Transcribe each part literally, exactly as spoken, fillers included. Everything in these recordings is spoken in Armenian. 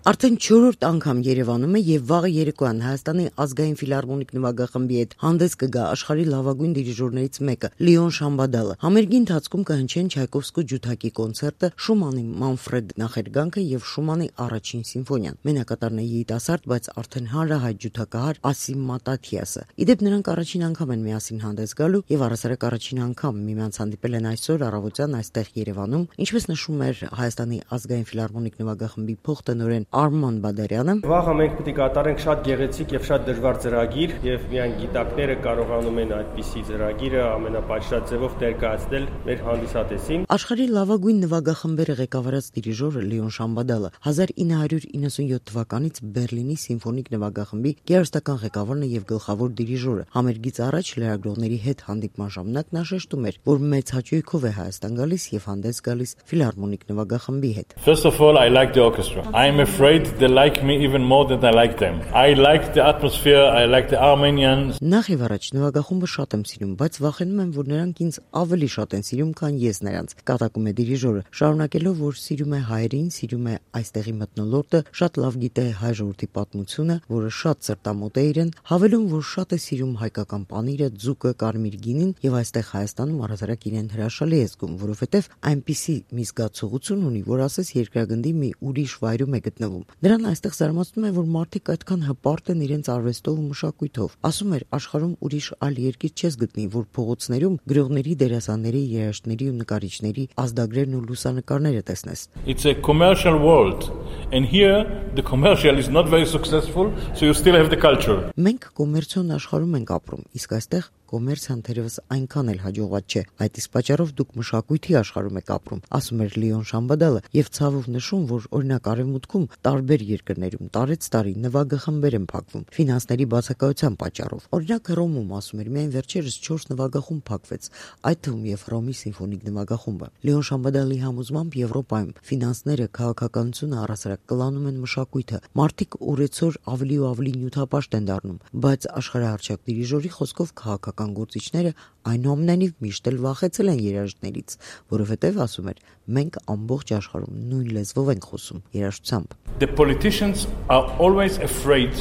Արդեն չորրորդ անգամ Երևանում է եւ վաղը երեկոյան Հայաստանի ազգային ֆիլհարմոնիկ նվագախմբի հետ հանդես կգա աշխարհի լավագույն դիրիժորներից մեկը՝ Լիոն Շամբադալը։ Համերգի ընթացքում կհնչեն Չայկովսկու ջութակի կոնցերտը, Շումանի Մանֆրեդ նախերգանքը եւ Շումանի առաջին սիմֆոնիան։ Մենակատարն է երիտասարդ, բայց արդեն հանրահայտ ջութակահար Ասիմ Մատաթիասը։ Իդեպ նրանք առաջին անգամ են միասին հանդես գալու եւ առասարակ առաջին անգամ միմյանց հանդիպել են այսօր առավոտյան այստեղ Երևանում, ինչպես նշում էր Հայաստանի ազգային ֆիլհարմոնիկ նվագախմբի փոխտնօրեն Արման Բադարյանը։ Վաղը մենք պետք է կատարենք շատ գեղեցիկ եւ շատ դժվար ծրագիր եւ միայն գիտակները կարողանում են այդպիսի ծրագիրը ամենապատշաճ ձևով ներկայացնել մեր հանդիսատեսին։ Աշխարհի լավագույն նվագախմբերը ղեկավարած դիրիժորը Լիոն Շամբադալը հազար ինը հարյուր իննսունյոթ թվականից Բերլինի սիմֆոնիկ նվագախմբի գերստական ղեկավարն է եւ գլխավոր դիրիժորը։ Համերգից առաջ լրագրողների հետ հանդիպման ժամանակ նա շեշտում էր, որ մեծ հաճույքով է Հայաստան գալիս եւ հանդես գալիս ֆիլհարմոնիկ նվագախմբի հետ։ First of all, I like the orchestra. I'm afraid they like me even more than I like them. I like the atmosphere, I like the Armenians. Նախ եւ առաջ նվագախումբը շատ եմ սիրում, բայց վախենում եմ, որ նրանք ինձ ավելի շատ են սիրում, քան ես նրանց։ Կատակում է դիրիժորը, շարունակելով, որ սիրում է հայերին, սիրում է այստեղի մթնոլորտը, շատ լավ գիտե հայ ժողովրդի պատմությունը, որը շատ սրտամոտ է իրեն, հավելում, որ շատ է սիրում հայկական պանիրը, ձուկը, կարմիր գինին եւ այստեղ Հայաստանում առհասարակ իրեն հրաշալի է զգում, որովհետեւ այնպիսի մի զգացողություն ունի, որ ասես երկրագնդի մի ուրիշ վայրում է գտնվում։ Նրան այստեղ զարմացնում է, որ մարդիկ այդքան հպարտ են իրենց արվեստով ու մշակույթով։ Ասում էր, աշխարհում ուրիշ այլ երկիր չես գտնի, որ փողոցներում գրողների, դերասանների, երաժիշտների ու նկարիչների ազդագրերն ու լուսանկարները տեսնես։ It's a commercial world, and here the commercial is not very successful, so you still have the culture. Մենք կոմերցիոն աշխարհում ենք ապրում, իսկ այստեղ կոմերցիան թերևս այնքան էլ հաջողված չէ։ Այդ իսկ պատճառով դուք մշակույթի աշխարհում եք ապրում, ասում էր Լիոն Շամբադալը եւ ցավով նշում, որ օրինակ Արևմուտքում տարբեր երկրներում տարեց տարի նվագախմբեր են փակվում ֆինանսների բացակայության պատճառով։ Օրինակ Հռոմում, ասում էր, միայն վերջերս չորս նվագախումբ փակվեց, այդ թվում եւ Հռոմի սիմֆոնիկ նվագախումբը։ Լիոն Շամբադալի համոզմամբ Եվրոպայում ֆինանսները, քաղաքականությունը առասարակ կլանում են մշակույթը։ Մարդիկ օրեցօր ավելի ու ավելի նյութապաշտ են դառնում, բայց աշխարհահռչակ դիրիժորի խոսքով քաղաքական գործիչները այնուամենայնիվ միշտ էլ վախեցել են երաժիշտներից, որովհետև ասում էր, մենք ամբողջ աշխարհում նույն լեզվով ենք խոսում, երաժշտությամբ։ The politicians are always afraid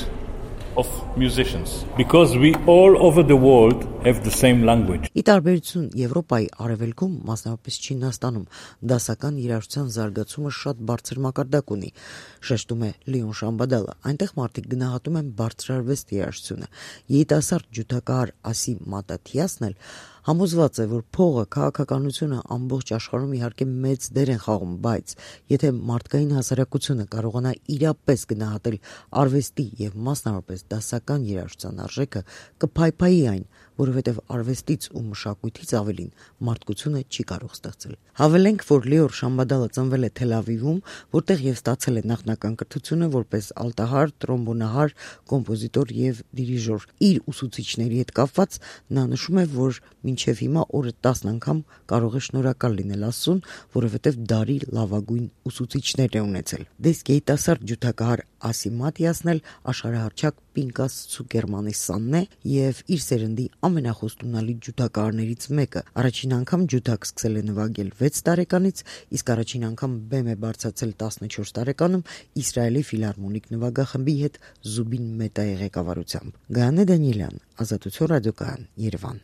of musicians because we all over the world have the same language. Ի տարբերություն Եվրոպայի արևելքում, մասնավորապես Չինաստանում, դասական երաժշտության զարգացումը շատ բարձր մակարդակ ունի, շեշտում է Լիոն Շամբադալը։ Այնտեղ մարդիկ գնահատում են բարձրարվեստ երաժշտությունը։ Երիտասարդ ջութակահար Ասիմ Մատաթիասն էլ համոզված է, որ փողը, քաղաքականությունը ամբողջ աշխարհում իհարկե մեծ դեր են խաղում, բայց եթե մարդկային հասարակությունը կարողանա իրապես գնահատել արվեստի եւ մասնավորապես դասական երաժշտության արժեքը, կփայփայի այն, որովհետև արվեստից ու մշակույթից ավելին մարդկությունը չի կարող ստեղծել։ Հավելենք, որ Լիոն Շամբադալը ծնվել է Թել Ավիվում, որտեղ եւ ստացել է նախնական կրթությունը որպես ալտահար, տրոմբոնահար, կոմպոզիտոր եւ դիրիժոր։ Իր ուսուցիչների հետ կապված նա նշում է, որ մինչև հիմա օրը տասն անգամ կարող է շնորհակալ լինել Աստծուն, որովհետև դարի լավագույն ուսուցիչներ է ունեցել։ Դες երիտասարդ ջութակահար Ասիմ Մատաթիասն էլ աշխարհահռչակ Պինկաս Ցուկերմանիսյանն է եւ իր սերնդի ամենախոստունալի ջութակահարներից մեկը։ Առաջին անգամ ջութակ սկսել է նվագել վեց տարեկանից, իսկ առաջին անգամ բեմ է բարձրացել տասնչորս տարեկանում Իսրայելի ֆիլհարմոնիկ նվագախմբի հետ Զուբին Մետայի ղեկավարությամբ։ Գայանե Դանիելյան, Ազատություն ռադիոկայան, Երևան։